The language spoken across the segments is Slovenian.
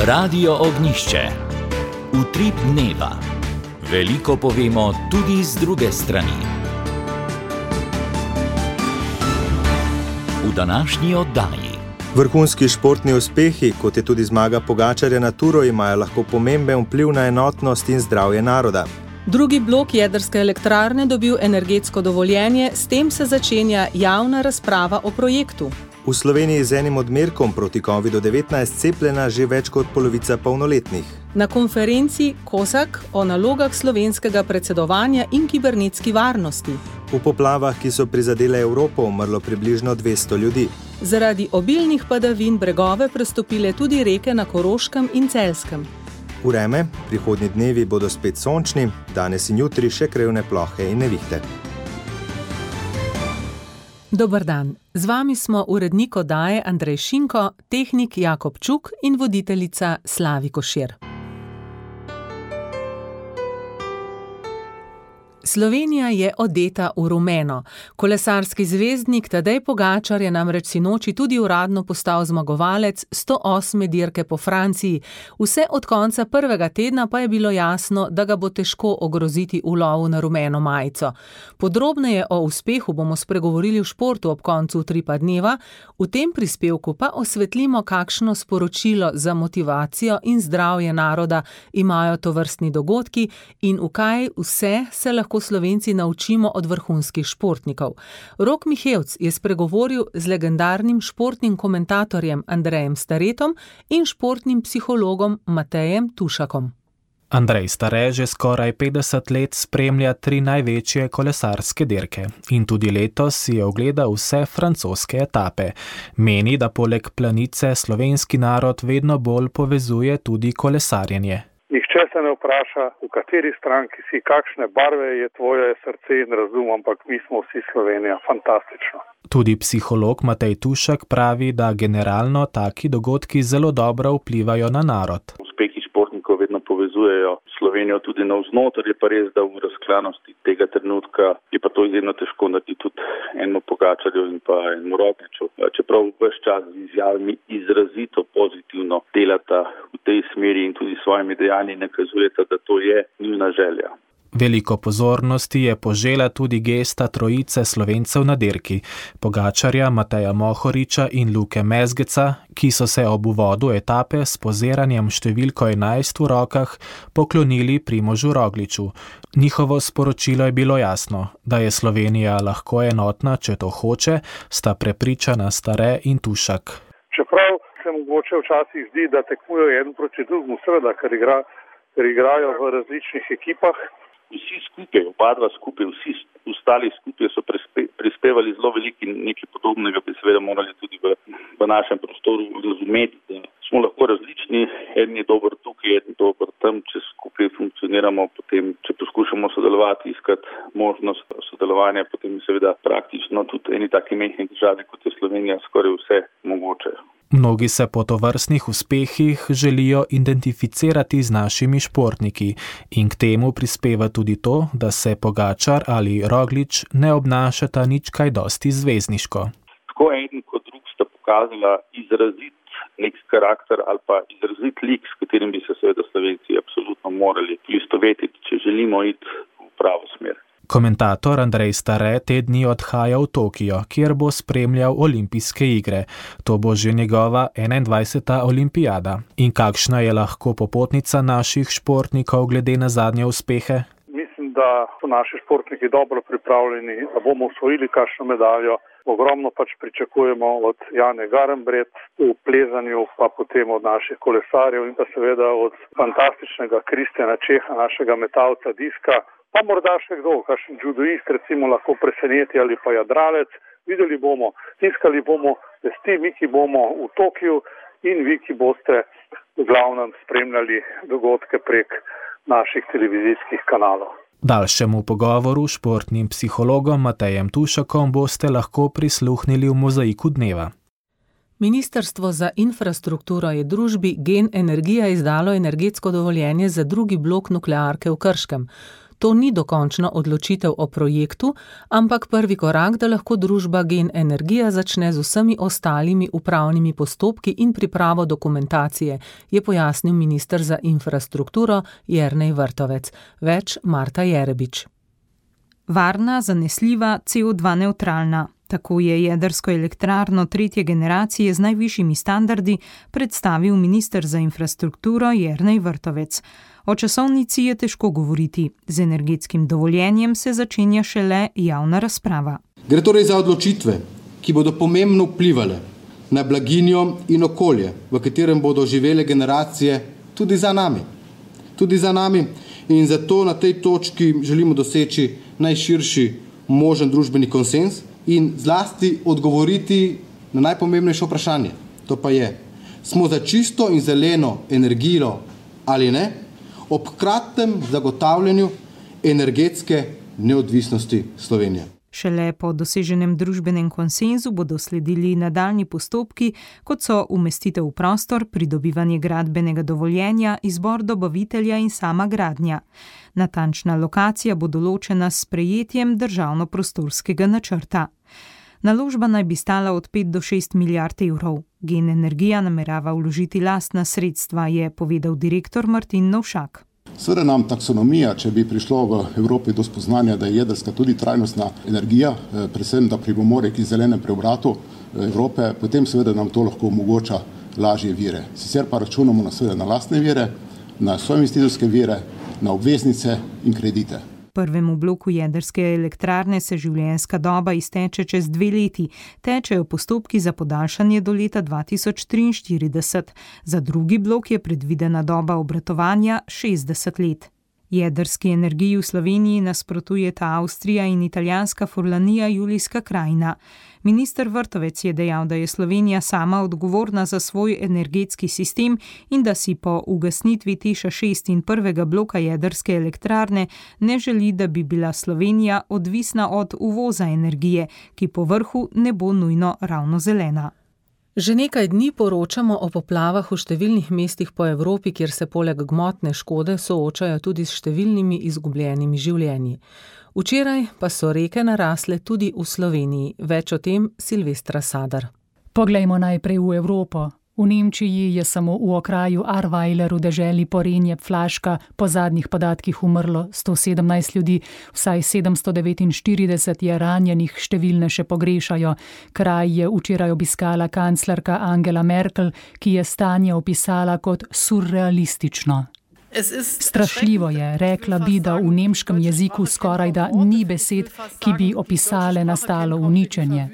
Radio Ognjišče. Utrip dneva. Veliko povemo tudi z druge strani. V današnji oddaji. Vrhunski športni uspehi, kot je tudi zmaga Pogačarja na Turo, imajo lahko pomemben vpliv na enotnost in zdravje naroda. Drugi blok jedrske elektrarne dobil energetsko dovoljenje, s tem se začenja javna razprava o projektu. V Sloveniji z enim odmerkom proti COVID-19 cepljena že več kot polovica polnoletnih. Na konferenci COSAC o nalogah slovenskega predsedovanja in kibernetski varnosti. V poplavah, ki so prizadele Evropo, umrlo približno 200 ljudi. Zaradi obilnih padavin bregove prestopile tudi reke na Koroškem in Celjskem. Vreme, prihodnji dnevi bodo spet sončni, danes in jutri še krevne plohe in nevihte. Dober dan, z vami smo urednik oddaje Andrej Šinko, tehnik Jakob Čuk in voditeljica Slavi Košir. Slovenija je odeta v rumeno. Kolesarski zvezdnik Tadej Pogačar je namreč sinoči tudi uradno postal zmagovalec 108. dirke po Franciji. Vse od konca prvega tedna pa je bilo jasno, da ga bo težko ogroziti v lovu na rumeno majico. Podrobneje o uspehu bomo spregovorili v športu ob koncu utripa dneva, v tem prispevku pa osvetlimo, kakšno sporočilo za motivacijo in zdravje naroda imajo tovrstni dogodki in v kaj vse se lahko Slovenci naučimo od vrhunskih športnikov. Rok Mihevc je spregovoril z legendarnim športnim komentatorjem Andrejem Staretom in športnim psihologom Matejem Tušakom. Andrej Stare že skoraj 50 let spremlja 3 največje kolesarske dirke in tudi letos si je ogledal vse francoske etape. Meni, da poleg planice slovenski narod vedno bolj povezuje tudi kolesarjenje. Nihče se ne vpraša, v kateri stranki si, kakšne barve je tvoje srce in razum, ampak mi smo vsi Slovenija. Fantastično. Tudi psiholog Matej Tušak pravi, da generalno taki dogodki zelo dobro vplivajo na narod. Uspehi športnikov vedno povezujejo Slovenijo tudi navznoter, je pa res, da v razklanosti tega trenutka je pa to izjemno težko narediti tudi enemu Pogačarju in pa enemu Rogliču. Čeprav ves čas z izjavami izrazito pozitivno delata v tej smeri in tudi svojimi dejanji nakazujeta, da to je njuna želja. Veliko pozornosti je požela tudi gesta trojice Slovencev na dirki, Pogačarja, Mateja Mohoriča in Luke Mezgeca, ki so se ob uvodu etape s poziranjem številko 11 v rokah poklonili Primožu Rogliču. Njihovo sporočilo je bilo jasno, da je Slovenija lahko enotna, če to hoče, sta prepričana Stare in Tušak. Čeprav se mogoče včasih zdi, da tekmujejo eden proti drugemu, seveda, ker igrajo v različnih ekipah. Vsi skupaj, oba dva skupaj, vsi ostali skupaj so prispevali zelo veliko in nekaj podobnega bi seveda morali tudi v našem prostoru razumeti, da smo lahko različni, eden je dober tukaj, eden dober tam, če skupaj funkcioniramo, potem, če poskušamo sodelovati, iskati možnost sodelovanja, potem seveda praktično tudi eni taki mehni državi, kot je Slovenija, skoraj vse mogoče. Mnogi se po tovrstnih uspehih želijo identificirati z našimi športniki in k temu prispeva tudi to, da se Pogačar ali Roglič ne obnašata nič kaj dosti zvezdniško. Tako eden kot drug sta pokazala izrazit nek karakter ali pa izrazit lik, s katerim bi se seveda Slovenci absolutno morali poistovetiti, če želimo iti v pravo smer. Komentator Andrej Stare te dni odhaja v Tokio, kjer bo spremljal olimpijske igre. To bo že njegova 21. olimpijada. In kakšna je lahko popotnica naših športnikov glede na zadnje uspehe? Mislim, da so naši športniki dobro pripravljeni, da bomo osvojili kakšno medaljo. Ogromno pričakujemo od Jane Garnbret v plezanju, pa potem od naših kolesarjev in pa seveda od fantastičnega Kristjana Čeha, našega metalca diska. Pa morda še kdo, kakšen judoist recimo lahko preseneti ali pa jadralec. Videli bomo, tiskali bomo vesti, mi ki bomo v Tokiu in vi ki boste v glavnem spremljali dogodke prek naših televizijskih kanalov. Daljšemu pogovoru s športnim psihologom Matejem Tušakom boste lahko prisluhnili v Mozaiku dneva. Ministrstvo za infrastrukturo je družbi Gen Energija izdalo energetsko dovoljenje za drugi blok nuklearke v Krškem. To ni dokončna odločitev o projektu, ampak prvi korak, da lahko družba Gen Energija začne z vsemi ostalimi upravnimi postopki in pripravo dokumentacije, je pojasnil minister za infrastrukturo Jernej Vrtovec. Več Marta Jerebič. Varna, zanesljiva, CO2 nevtralna. Tako je jedrsko elektrarno 3. generacije z najvišjimi standardi predstavil minister za infrastrukturo Jernej Vrtovec. O časovnici je težko govoriti. Z energetskim dovoljenjem se začenja šele javna razprava. Gre torej za odločitve, ki bodo pomembno vplivale na blaginjo in okolje, v katerem bodo živele generacije tudi za nami. In zato na tej točki želimo doseči najširši možen družbeni konsenz in zlasti odgovoriti na najpomembnejše vprašanje. To pa je, smo za čisto in zeleno energijo ali ne, ob hkratnem zagotavljanju energetske neodvisnosti Slovenije. Šele po doseženem družbenem konsenzu bodo sledili nadaljnji postopki, kot so umestitev v prostor, pridobivanje gradbenega dovoljenja, izbor dobavitelja in sama gradnja. Natančna lokacija bo določena s sprejetjem državno-prostorskega načrta. Naložba naj bi stala od 5 do 6 milijard evrov. Gen Energija namerava vložiti lastna sredstva, je povedal direktor Martin Novšak. Seveda nam taksonomija, če bi prišlo v Evropi do spoznanja, da je jedrska tudi trajnostna energija, predvsem da pripomore k zelenem preobratu Evrope, potem seveda nam to lahko omogoča lažje vire. Sicer pa računamo na lastne vire, na soinvestitorske vire, na obveznice in kredite. Prvemu bloku jedrske elektrarne se življenjska doba izteče čez 2 leti. Tečejo postopki za podaljšanje do leta 2043. Za drugi blok je predvidena doba obratovanja 60 let. Jedrski energiji v Sloveniji nasprotujeta Avstrija in italijanska Furlanija Julijska krajina. Minister Vrtovec je dejal, da je Slovenija sama odgovorna za svoj energetski sistem in da si po ugasnitvi Teša 6 in prvega bloka jedrske elektrarne ne želi, da bi bila Slovenija odvisna od uvoza energije, ki po vrhu ne bo nujno ravno zelena. Že nekaj dni poročamo o poplavah v številnih mestih po Evropi, kjer se poleg gmotne škode soočajo tudi s številnimi izgubljenimi življenji. Včeraj pa so reke narasle tudi v Sloveniji. Več o tem Silvestra Sadar. Poglejmo najprej v Evropo. V Nemčiji je samo v okraju Ahrweiler v deželi Porenje-Flaška po zadnjih podatkih umrlo 117 ljudi, vsaj 749 je ranjenih, številne še pogrešajo. Kraj je včeraj obiskala kanclerka Angela Merkel, ki je stanje opisala kot surrealistično. Strašljivo je, rekla bi, da v nemškem jeziku skorajda ni besed, ki bi opisale nastalo uničenje.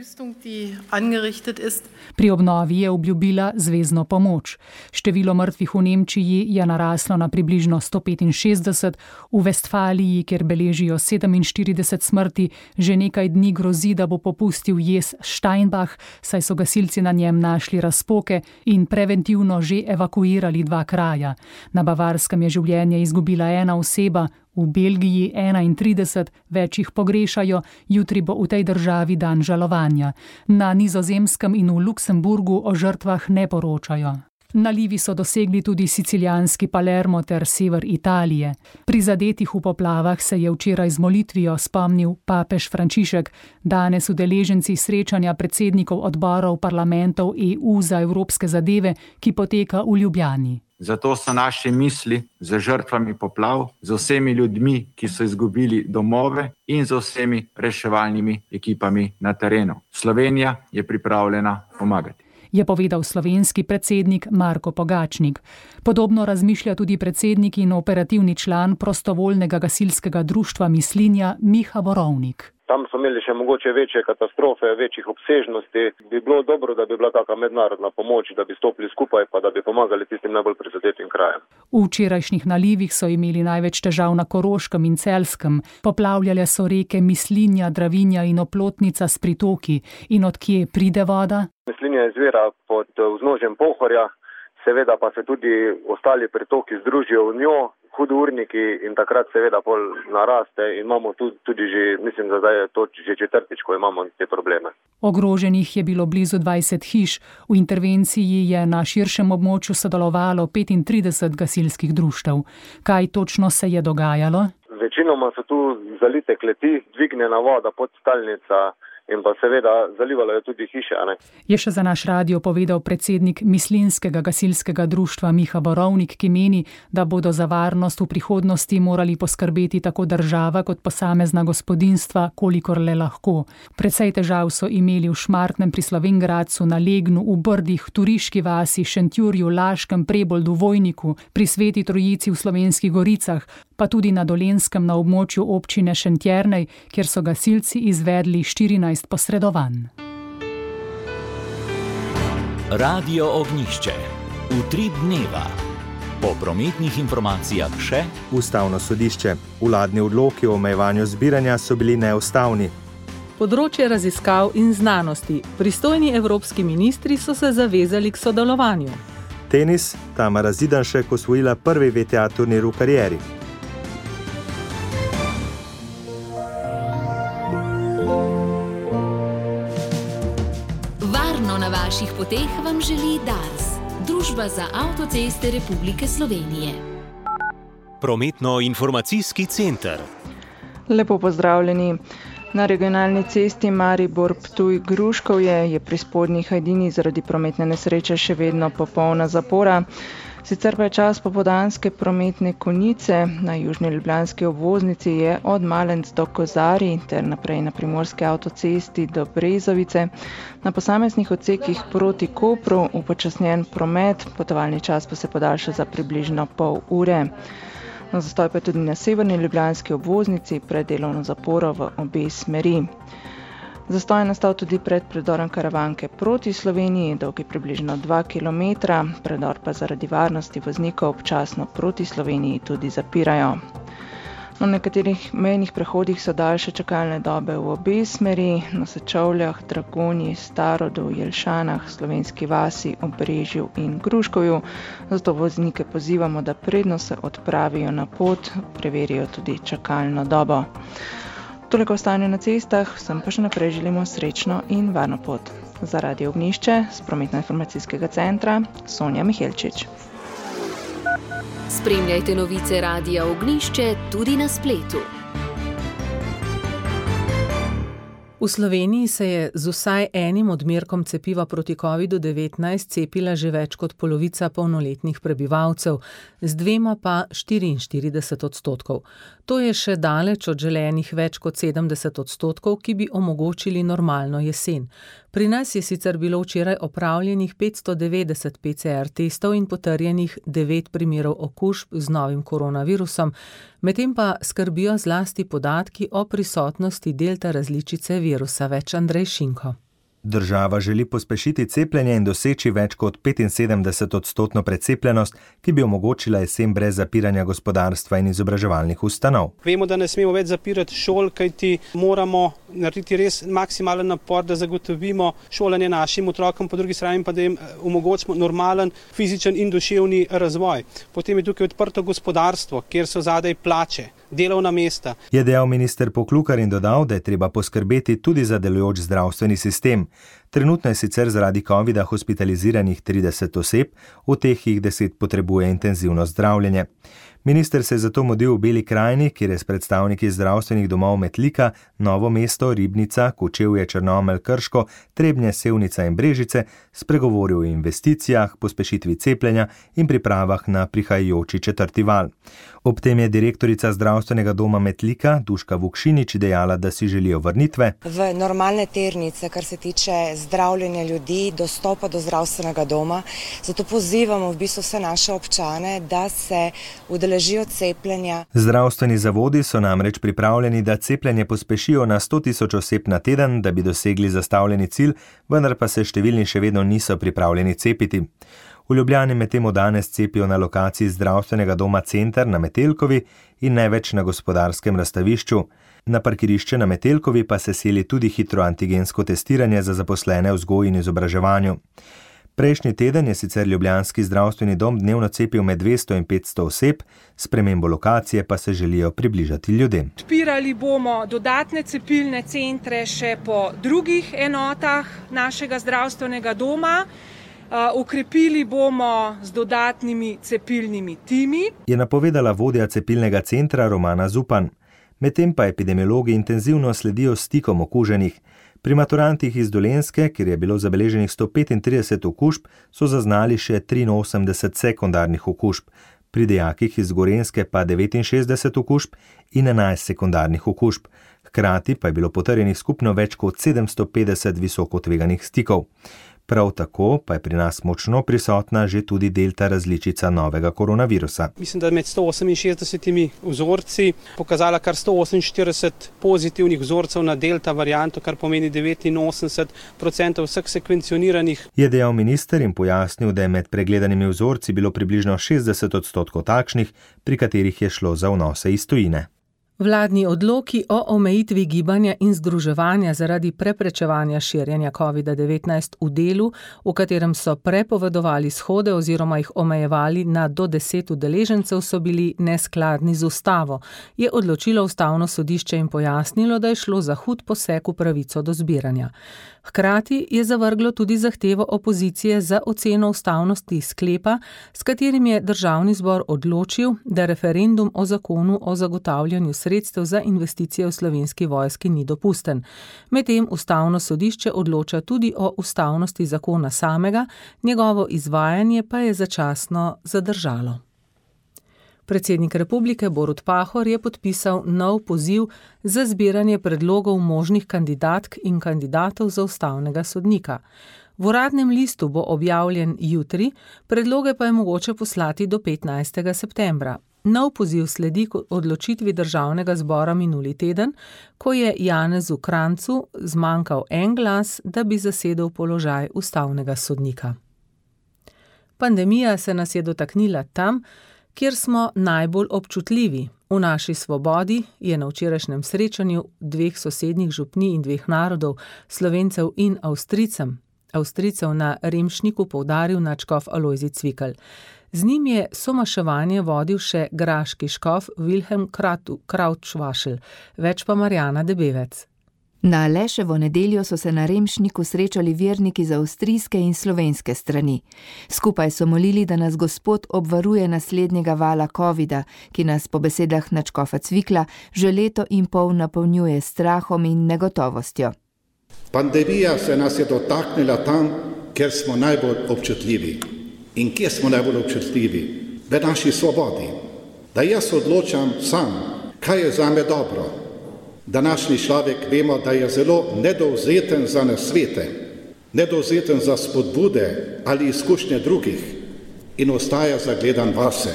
Pri obnovi je obljubila zvezno pomoč. Število mrtvih v Nemčiji je naraslo na približno 165, v Vestfaliji, kjer beležijo 47 smrti, že nekaj dni grozi, da bo popustil jez Steinbach, saj so gasilci na njem našli razpoke in preventivno že evakuirali 2 kraja. Na Bavarskem je življenje izgubila 1 oseba, v Belgiji 31, več jih pogrešajo, jutri bo v tej državi dan žalovanja. Na Nizozemskem in v Luksemburgu o žrtvah ne poročajo. Nalivi so dosegli tudi sicilijanski Palermo ter sever Italije. Prizadetih v poplavah se je včeraj z molitvijo spomnil papež Frančišek, danes udeleženci srečanja predsednikov odborov parlamentov EU za evropske zadeve, ki poteka v Ljubljani. Zato so naše misli z žrtvami poplav, z vsemi ljudmi, ki so izgubili domove in z vsemi reševalnimi ekipami na terenu. Slovenija je pripravljena pomagati, je povedal slovenski predsednik Marko Pogačnik. Podobno razmišlja tudi predsednik in operativni član prostovoljnega gasilskega društva Mislinja Miha Borovnik. Tam so imeli še mogoče večje katastrofe, večjih obsežnosti. Bi bilo dobro, da bi bila taka mednarodna pomoč, da bi stopili skupaj, pa da bi pomagali tistim najbolj prizadetim krajem. V včerajšnjih nalivih so imeli največ težav na Koroškem in Celjskem. Poplavljale so reke Mislinja, Dravinja in Oplotnica s pritoki. In od kje pride voda? Mislinja izvira pod vznožjem Pohorja, seveda pa se tudi ostali pritoki združijo v njo, hudourniki, in takrat seveda pol naraste in imamo tudi že, mislim, da zdaj je to že 4., ko imamo te probleme. Ogroženih je bilo blizu 20 hiš. V intervenciji je na širšem območju sodelovalo 35 gasilskih društev. Kaj točno se je dogajalo? Večinoma so tu zalite kleti, dvignjena voda, podstalnica in pa seveda zalivalo je tudi hiše. Je še za naš radio povedal predsednik Mislinskega gasilskega društva Miha Borovnik, ki meni, da bodo za varnost v prihodnosti morali poskrbeti tako država kot posamezna gospodinjstva, kolikor le lahko. Precej težav so imeli v Šmartnem pri Slovenj Gradcu, na Legnu, v Brdih, Turiški vasi, Šentjurju, Laškem, Preboldu, Vojniku, pri Sveti Trojici v Slovenskih Goricah, pa tudi na Dolenjskem na območju občine Šentjernej, kjer so gasilci izvedli 14 posredovanj. Radio Ognjišče. Utrip dneva. Po prometnih informacijah še Ustavno sodišče. Vladni odloki o omejevanju zbiranja so bili neustavni. Področje raziskav in znanosti. Pristojni evropski ministri so se zavezali k sodelovanju. Tenis. Tamara Zidanšek osvojila prvi VTA turnir v karieri. Na vaših poteh vam želi Dars, Družba za avtoceste Republike Slovenije. Prometno-informacijski center. Lepo pozdravljeni. Na regionalni cesti Maribor-Ptuj-Gruškovje je pri spodnji Hajdini zaradi prometne nesreče še vedno popolna zapora. Sicer pa je čas popoldanske prometne konice. Na južni ljubljanski obvoznici je od Malenc do Kozarij ter naprej na primorski avtocesti do Brezovice. Na posameznih odsekih proti Kopru upočasnjen promet, potovalni čas pa se podaljša za približno pol ure. Zastoj pa je tudi na severni ljubljanski obvoznici pred delovno zaporo v obe smeri. Zastoj je nastal tudi pred predorom Karavanke proti Sloveniji, dolgi približno 2 km, predor pa zaradi varnosti voznikov občasno proti Sloveniji tudi zapirajo. Na nekaterih mejnih prehodih so daljše čakalne dobe v obe smeri, na Sečovljah, Dragonji, Starodu, Jelšanah, Slovenski vasi, Obrežju in Gruškovju. Zato voznike pozivamo, da predno se odpravijo na pot, preverijo tudi čakalno dobo. Toliko o stanju na cestah, vsem pa še naprej želimo srečno in varno pot. Za Radio Ognjišče z Prometno-informacijskega centra Sonja Mihelčič. Spremljajte novice Radia Ognjišče tudi na spletu. V Sloveniji se je z vsaj enim odmerkom cepiva proti COVID-19 cepila že več kot polovica polnoletnih prebivalcev, z dvema pa 44%. To je še daleč od želenih več kot 70%, ki bi omogočili normalno jesen. Pri nas je sicer bilo včeraj opravljenih 590 PCR testov in potrjenih 9 primerov okužb z novim koronavirusom, medtem pa skrbijo zlasti podatki o prisotnosti delta različice virusa. Več Andrej Šinko. Država želi pospešiti cepljenje in doseči več kot 75% precepljenost, ki bi omogočila jesen brez zapiranja gospodarstva in izobraževalnih ustanov. Vemo, da ne smemo več zapirati šol, kajti moramo narediti res maksimalen napor, da zagotovimo šolanje našim otrokom, po drugi strani pa da jim omogočimo normalen fizičen in duševni razvoj. Potem je tukaj odprto gospodarstvo, kjer so zadaj plače, delovna mesta. Je dejal minister Poklukar in dodal, da je treba poskrbeti tudi za delujoč zdravstveni sistem. Trenutno je sicer zaradi covida hospitaliziranih 30 oseb, od teh jih 10 potrebuje intenzivno zdravljenje. Minister se je zato mudil v Beli krajini, kjer je s predstavniki zdravstvenih domov Metlika, Novo mesto, Ribnica, Kočevje, Črnomelj, Krško, Trebnje, Sevnica in Brežice spregovoril o investicijah, pospešitvi cepljenja in pripravah na prihajajoči 4. val. Ob tem je direktorica zdravstvenega doma Metlika, Duška Vukšinič, dejala, da si želijo vrnitve v normalne tirnice, kar se tiče zdravljenja ljudi, dostopa do zdravstvenega doma. Zato pozivamo v bistvu vse naše občane, da se udeležijo cepljenja. Zdravstveni zavodi so namreč pripravljeni, da cepljenje pospešijo na 100.000 oseb na teden, da bi dosegli zastavljeni cilj, vendar pa se številni še vedno niso pripravljeni cepiti. V Ljubljani medtem danes cepijo na lokaciji zdravstvenega doma Center na Metelkovi in največ na Gospodarskem razstavišču. Na parkirišče na Metelkovi pa se seli tudi hitro antigensko testiranje za zaposlene v vzgoji in izobraževanju. Prejšnji teden je sicer ljubljanski zdravstveni dom dnevno cepil med 200 in 500 oseb, spremembo lokacije pa se želijo približati ljudem. Odpirali bomo dodatne cepilne centre še po drugih enotah našega zdravstvenega doma. Ukrepili bomo z dodatnimi cepilnimi timi. Je napovedala vodja cepilnega centra Romana Zupan. Medtem pa epidemiologi intenzivno sledijo stikom okuženih. Pri maturantih iz Dolenjske, kjer je bilo zabeleženih 135 okužb, so zaznali še 83 sekundarnih okužb. Pri dijakih iz Gorenjske pa 69 okužb in 11 sekundarnih okužb. Hkrati pa je bilo potrjenih skupno več kot 750 visoko tveganih stikov. Prav tako pa je pri nas močno prisotna že tudi delta različica novega koronavirusa. Mislim, da med 168 vzorci pokazala kar 148 pozitivnih vzorcev na delta varianto, kar pomeni 89% vseh sekvencioniranih. Je dejal minister in pojasnil, da je med pregledanimi vzorci bilo približno 60% takšnih, pri katerih je šlo za vnose iz tujine. Vladni odloki o omejitvi gibanja in združevanja zaradi preprečevanja širjenja COVID-19 v delu, v katerem so prepovedovali shode oziroma jih omejevali na do 10 udeležencev, so bili neskladni z ustavo, je odločilo Ustavno sodišče in pojasnilo, da je šlo za hud poseg v pravico do zbiranja. Hkrati je zavrglo tudi zahtevo opozicije za oceno ustavnosti sklepa, s katerim je Državni zbor odločil, da referendum o zakonu o zagotavljanju sredstev za investicije v Slovenski vojski ni dopusten. Medtem Ustavno sodišče odloča tudi o ustavnosti zakona samega, njegovo izvajanje pa je začasno zadržalo. Predsednik republike Borut Pahor je podpisal nov poziv za zbiranje predlogov možnih kandidatk in kandidatov za ustavnega sodnika. V Uradnem listu bo objavljen jutri, predloge pa je mogoče poslati do 15. septembra. Nov poziv sledi odločitvi Državnega zbora minuli teden, ko je Janezu Kranjcu zmanjkal en glas, da bi zasedel položaj ustavnega sodnika. Pandemija se nas je dotaknila tam, kjer smo najbolj občutljivi. V naši svobodi je na včerajšnjem srečanju dveh sosednjih župnij in dveh narodov, Slovencev in Avstrijcev na Remšniku poudaril nadškof Alojzij Cvikl. Z njim je somaševanje vodil še graški škof Wilhelm Krautschwaschel, več pa Marjana Debevec. Na Leševo nedeljo so se na Remšniku srečali verniki z avstrijske in slovenske strani. Skupaj so molili, da nas Gospod obvaruje naslednjega vala covida, ki nas po besedah nadškofa Cvikla že leto in pol napolnjuje strahom in negotovostjo. Pandemija se nas je dotaknila tam, kjer smo najbolj občutljivi. In kje smo najbolj občutljivi? V naši svobodi. Da jaz odločam sam, kaj je zame dobro. Današnji človek vemo, da je zelo nedovzeten za nasvete, nedovzeten za spodbude ali izkušnje drugih in ostaja zagledan vase.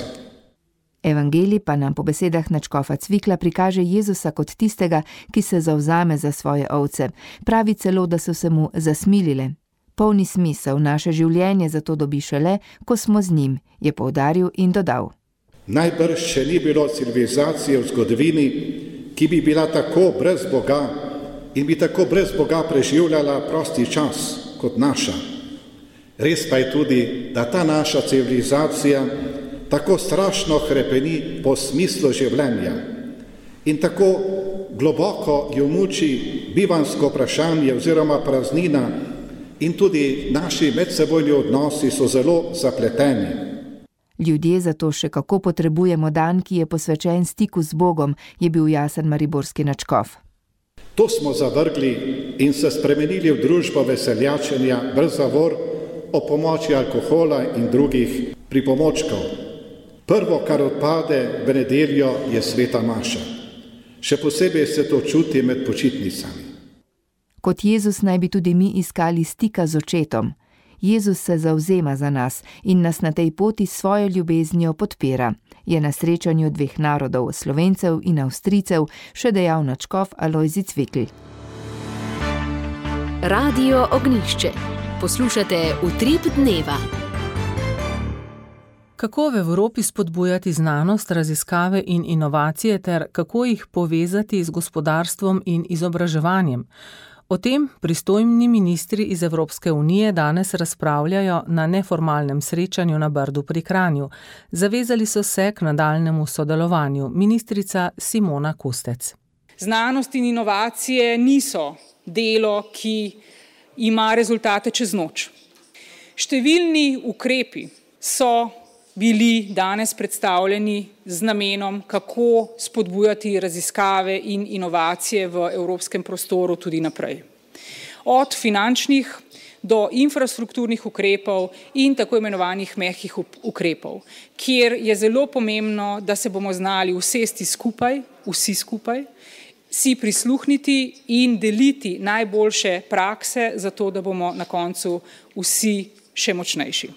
Evangelij pa nam po besedah nadškofa Cvikla prikaže Jezusa kot tistega, ki se zavzame za svoje ovce. Pravi celo, da so se mu zasmilile. Polni smisel naše življenje zato dobi šele, ko smo z njim, je poudaril in dodal. Najbrž še ni bilo civilizacije v zgodovini, ki bi bila tako brez Boga in bi tako brez Boga preživljala prosti čas kot naša. Res pa je tudi, da ta naša civilizacija tako strašno hrepeni po smislu življenja in tako globoko jo muči bivansko vprašanje oziroma praznina in tudi naši medsebojni odnosi so zelo zapleteni. Ljudje zato še kako potrebujemo dan, ki je posvečen stiku z Bogom, je bil jasen mariborski nadškof. To smo zavrgli in se spremenili v družbo veseljačenja brez zavor o pomoči alkohola in drugih pripomočkov. Prvo, kar odpade v nedeljo, je sveta maša. Še posebej se to čuti med počitnicami. Kot Jezus naj bi tudi mi iskali stika z očetom. Jezus se zavzema za nas in nas na tej poti s svojo ljubeznijo podpira, je na srečanju dveh narodov, Slovencev in Avstrijcev, še dejal nadškof Alojzij Cvikl. Radio Ognjišče. Poslušate Utrip dneva. Kako v Evropi spodbujati znanost, raziskave in inovacije ter kako jih povezati z gospodarstvom in izobraževanjem? O tem pristojni ministri iz Evropske unije danes razpravljajo na neformalnem srečanju na Brdu pri Kranju. Zavezali so se k nadaljnemu sodelovanju. Ministrica Simona Kustec. Znanost in inovacije niso delo, ki ima rezultate čez noč. Številni ukrepi so bili danes predstavljeni z namenom, kako spodbujati raziskave in inovacije v evropskem prostoru tudi naprej. Od finančnih do infrastrukturnih ukrepov in tako imenovanih mehkih ukrepov, kjer je zelo pomembno, da se bomo znali usesti skupaj, vsi skupaj, si prisluhniti in deliti najboljše prakse, zato da bomo na koncu vsi še močnejši.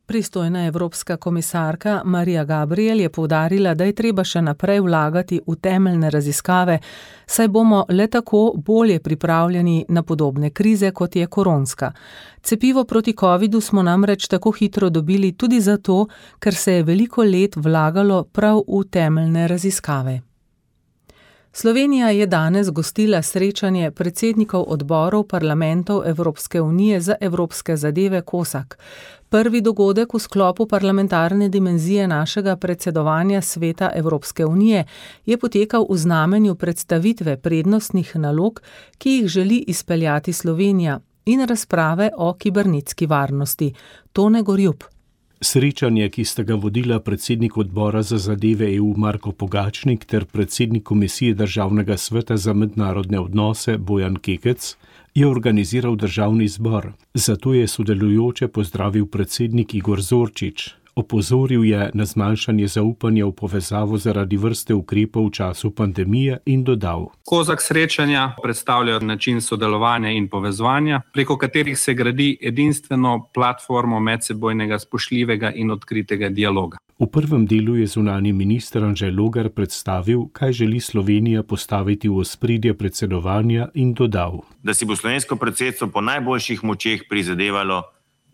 Pristojna evropska komisarka Marija Gabriel je poudarila, da je treba še naprej vlagati v temeljne raziskave, saj bomo le tako bolje pripravljeni na podobne krize, kot je koronska. Cepivo proti covidu smo namreč tako hitro dobili tudi zato, ker se je veliko let vlagalo prav v temeljne raziskave. Slovenija je danes gostila srečanje predsednikov odborov parlamentov Evropske unije za evropske zadeve COSAC. Prvi dogodek v sklopu parlamentarne dimenzije našega predsedovanja Sveta Evropske unije je potekal v znamenju predstavitve prednostnih nalog, ki jih želi izpeljati Slovenija, in razprave o kibernetski varnosti. Tone Gorjup. Srečanje, ki sta ga vodila predsednik odbora za zadeve EU Marko Pogačnik ter predsednik Komisije Državnega sveta za mednarodne odnose Bojan Kekec, je organiziral Državni zbor. Zato je sodelujoče pozdravil predsednik Igor Zorčič. Opozoril je na zmanjšanje zaupanja v povezavo zaradi vrste ukrepov v času pandemije in dodal: COSAC srečanja predstavljajo način sodelovanja in povezovanja, preko katerih se gradi edinstveno platformo medsebojnega spoštljivega in odkritega dialoga. V prvem delu je zunanji minister Anže Logar predstavil, kaj želi Slovenija postaviti v ospredje predsedovanja, in dodal: da si bo slovensko predsedstvo po najboljših močeh prizadevalo,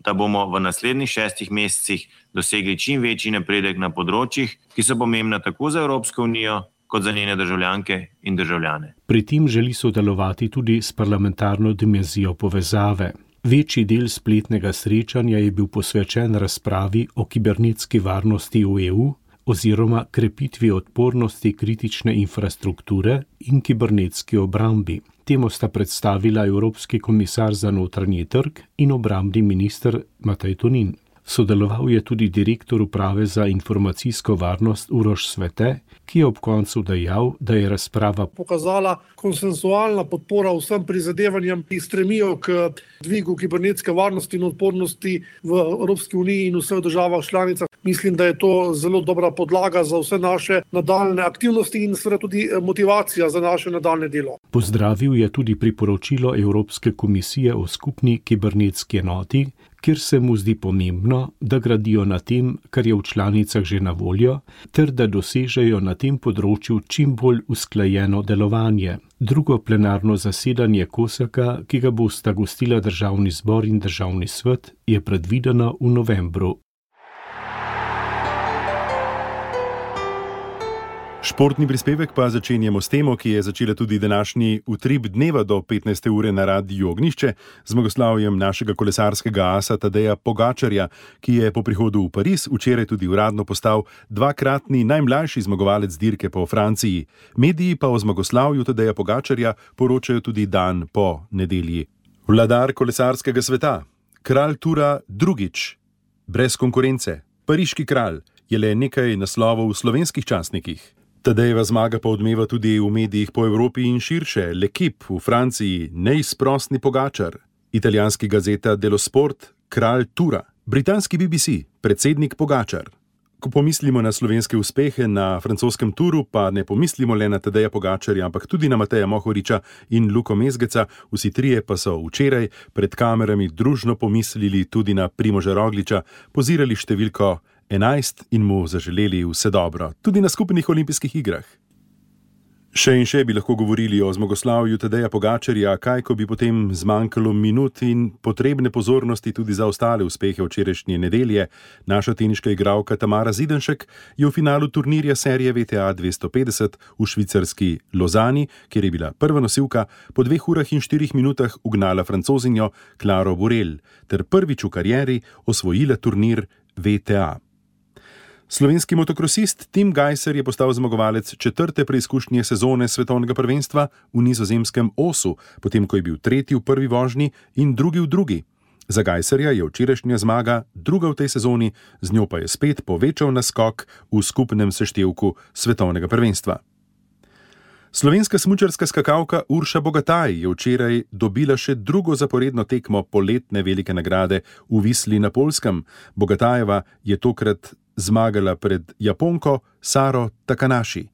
da bomo v naslednjih 6 mesecih dosegli čim večji napredek na področjih, ki so pomembna tako za Evropsko unijo, kot za njene državljanke in državljane. Pri tem želi sodelovati tudi s parlamentarno dimenzijo povezave. Večji del spletnega srečanja je bil posvečen razpravi o kibernetski varnosti v EU oziroma krepitvi odpornosti kritične infrastrukture in kibernetski obrambi. Temo sta predstavila Evropski komisar za notranji trg in obrambni minister Matej Tonin. Sodeloval je tudi direktor uprave za informacijsko varnost Uroš Svete, ki je ob koncu dejal, da je razprava pokazala konsensualna podpora vsem prizadevanjem, ki stremijo k dvigu kibernetske varnosti in odpornosti v Evropski uniji in vseh državah članicah. Mislim, da je to zelo dobra podlaga za vse naše nadaljne aktivnosti in seveda tudi motivacija za naše nadaljne delo. Pozdravil je tudi priporočilo Evropske komisije o skupni kibernetski enoti, kjer se mu zdi pomembno, da gradijo na tem, kar je v članicah že na voljo, ter da dosežejo na tem področju čim bolj usklajeno delovanje. Drugo plenarno zasedanje COSAC-a, ki ga bosta gostila Državni zbor in Državni svet, je predvideno v novembru. Športni prispevek pa začenjamo s temo, ki je začela tudi današnji utrip dneva do 15. ure na Radiu Ognjišče, z zmagoslavjem našega kolesarskega asa Tadeja Pogačarja, ki je po prihodu v Pariz včeraj tudi uradno postal dvakratni najmlajši zmagovalec dirke po Franciji. Mediji pa o zmagoslavju Tadeja Pogačarja poročajo tudi dan po nedelji. Vladar kolesarskega sveta, kralj Tura drugič, brez konkurence, pariški kralj, je le nekaj naslovov v slovenskih časnikih. Tadejeva zmaga pa odmeva tudi v medijih po Evropi in širše. L'Equipe v Franciji, neizprostni Pogačar, italijanski gazeta Dello Sport, kralj Tura, britanski BBC, predsednik Pogačar. Ko pomislimo na slovenske uspehe na francoskem Turu, pa ne pomislimo le na Tadeja Pogačarja, ampak tudi na Mateja Mohoriča in Luko Mezgeca. Vsi trije pa so včeraj pred kamerami družno pomislili tudi na Primoža Rogliča, pozirali številko 11 in mu zaželeli vse dobro, tudi na skupnih olimpijskih igrah. Še in še bi lahko govorili o zmagoslavju Tadeja Pogačarja, kaj ko bi potem zmanjkalo minut in potrebne pozornosti tudi za ostale uspehe včerajšnje nedelje. Naša teniška igralka Tamara Zidanšek je v finalu turnirja serije VTA 250 v švicarski Lozani, kjer je bila prva nosilka, po 2 urah in 4 minutah ugnala Francozinjo Claro Burel ter prvič v karieri osvojila turnir VTA. Slovenski motokrosist Tim Gajser je postal zmagovalec 4. preizkušnje sezone svetovnega prvenstva v nizozemskem Osu, potem ko je bil 3. v prvi vožnji in 2. v drugi. Za Gajserja je včerajšnja zmaga druga v tej sezoni, z njo pa je spet povečal naskok v skupnem seštevku svetovnega prvenstva. Slovenska smučarska skakalka Urša Bogataj je včeraj dobila še drugo zaporedno tekmo poletne velike nagrade v Visli na Poljskem. Bogatajeva je tokrat zmagala pred Japonko Saro Takanashi.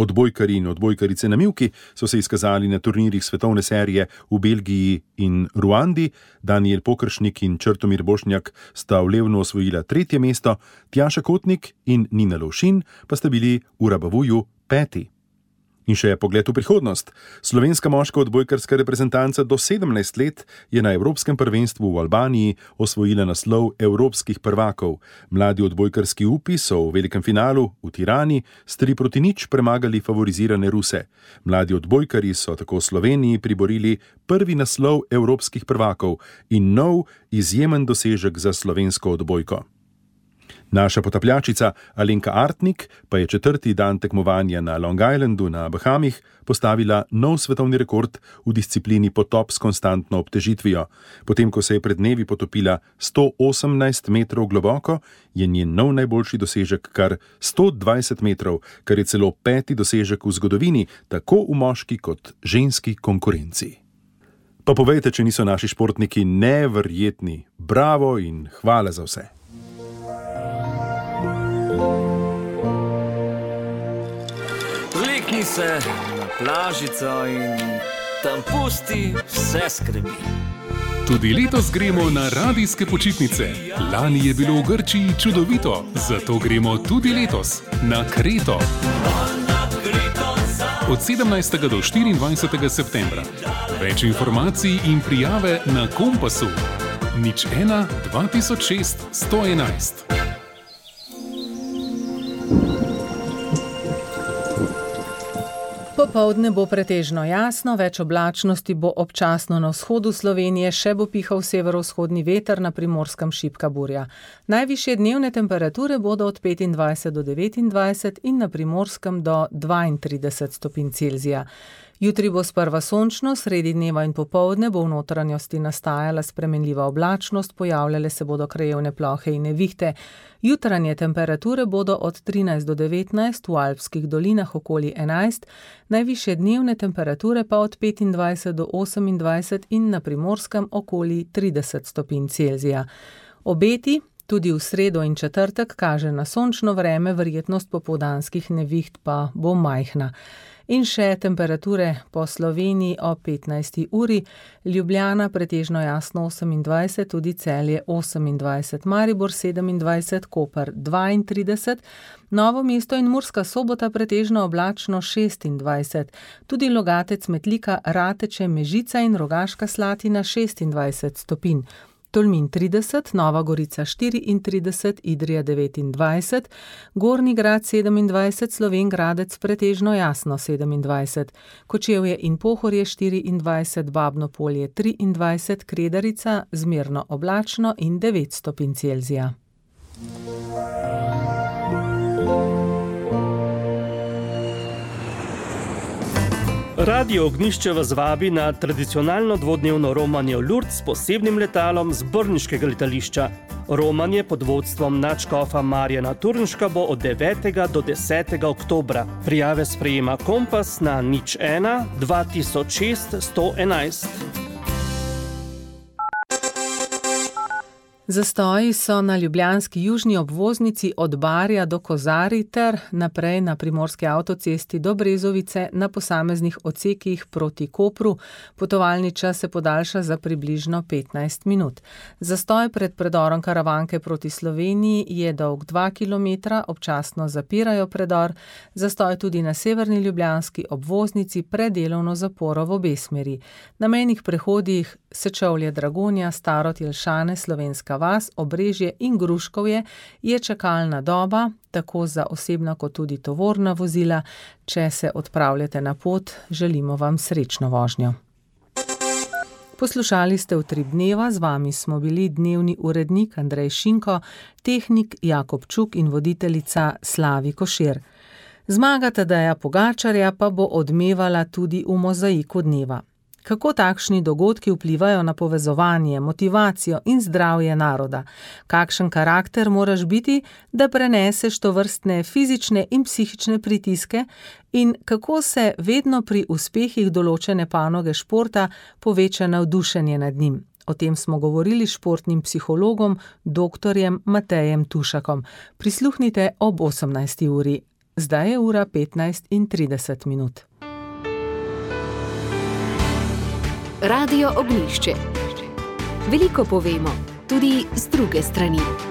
Odbojkarji in odbojkarice na mivki so se izkazali na turnirjih svetovne serije v Belgiji in Ruandi. Danijel Pokršnik in Črtomir Bošnjak sta v Levnu osvojila 3. mesto, Tjaša Kotnik in Nina Lovšin pa sta bili v Rabavuju 5. In še pogled v prihodnost. Slovenska moška odbojkarska reprezentanca do 17 let je na Evropskem prvenstvu v Albaniji osvojila naslov evropskih prvakov. Mladi odbojkarski upi so v velikem finalu v Tirani s 3-0 premagali favorizirane Ruse. Mladi odbojkarji so tako Sloveniji priborili prvi naslov evropskih prvakov in nov izjemen dosežek za slovensko odbojko. Naša potapljačica Alenka Artnik pa je 4. dan tekmovanja na Long Islandu na Bahamih postavila nov svetovni rekord v disciplini potop s konstantno obtežitvijo. Potem, ko se je pred dnevi potopila 118 metrov globoko, je njen nov najboljši dosežek kar 120 metrov, kar je celo 5. dosežek v zgodovini, tako v moški kot ženski konkurenci. Pa povejte, če niso naši športniki neverjetni. Bravo in hvala za vse. Vlekni se na plažico in tam pusti vse skrbi. Tudi letos gremo na radijske počitnice. Lani je bilo v Grčiji čudovito, zato gremo tudi letos na Kreto. Od 17. do 24. septembra. Več informacij in prijave na Kompasu. 01 2006 111. Popoldne bo pretežno jasno, več oblačnosti bo občasno na vzhodu Slovenije, še bo pihal severovzhodni veter, na Primorskem šibka burja. Najvišje dnevne temperature bodo od 25 do 29 in na Primorskem do 32 stopinj Celzija. Jutri bo sprva sončno, sredi dneva in popoldne bo v notranjosti nastajala spremenljiva oblačnost, pojavljale se bodo krajevne plohe in nevihte. Jutranje temperature bodo od 13 do 19, v alpskih dolinah okoli 11, najvišje dnevne temperature pa od 25 do 28 in na Primorskem okoli 30 stopinj Celzija. Obeti tudi v sredo in četrtek kaže na sončno vreme, verjetnost popoldanskih neviht pa bo majhna. In še temperature po Sloveniji o 15. uri, Ljubljana pretežno jasno 28, tudi Celje 28, Maribor 27, Koper 32, Novo mesto in Murska Sobota pretežno oblačno 26, tudi Logatec, Metlika, Rateče, Mežica in Rogaška Slatina 26 stopinj. Tolmin 30, Nova Gorica 34, Idrija 29, Gornji Grad 27, Slovenj Gradec pretežno jasno 27, Kočevje in Pohorje 24, Babno Polje 23, Kredarica zmerno oblačno in 9 stopinj Celzija. Radio Ognjišče vas vabi na tradicionalno dvodnevno romanje v Lourdes s posebnim letalom z brniškega letališča. Romanje pod vodstvom nadškofa Marjana Turnška bo od 9. do 10. oktobra. Prijave sprejema Kompas na 01 2006 111. Zastoji so na ljubljanski južni obvoznici od Barja do Kozarij ter naprej na primorski avtocesti do Brezovice na posameznih odsekih proti Kopru. Potovalni čas se podaljša za približno 15 minut. Zastoj pred predorom Karavanke proti Sloveniji je dolg 2 km, občasno zapirajo predor. Zastoj tudi na severni ljubljanski obvoznici pred delovno zaporo v obe smeri. Na mejnih prehodih Sečovlje, Dragonja, Starod, Jelšane, Slovenska vas, Obrežje in Gruškovje je čakalna doba, tako za osebna kot tudi tovorna vozila. Če se odpravljate na pot, želimo vam srečno vožnjo. Poslušali ste Utrip dneva, z vami smo bili dnevni urednik Andrej Šinko, tehnik Jakob Čuk in voditeljica Slavi Košir. Zmaga Tadeja Pogačarja pa bo odmevala tudi v mozaiku dneva. Kako takšni dogodki vplivajo na povezovanje, motivacijo in zdravje naroda? Kakšen karakter moraš biti, da preneseš tovrstne fizične in psihične pritiske? In kako se vedno pri uspehih določene panoge športa poveča navdušenje nad njim? O tem smo govorili s športnim psihologom, doktorjem Matejem Tušakom. Prisluhnite ob 18. uri. Zdaj je ura 15:30. Radio Ognjišče. Veliko povemo, tudi z druge strani.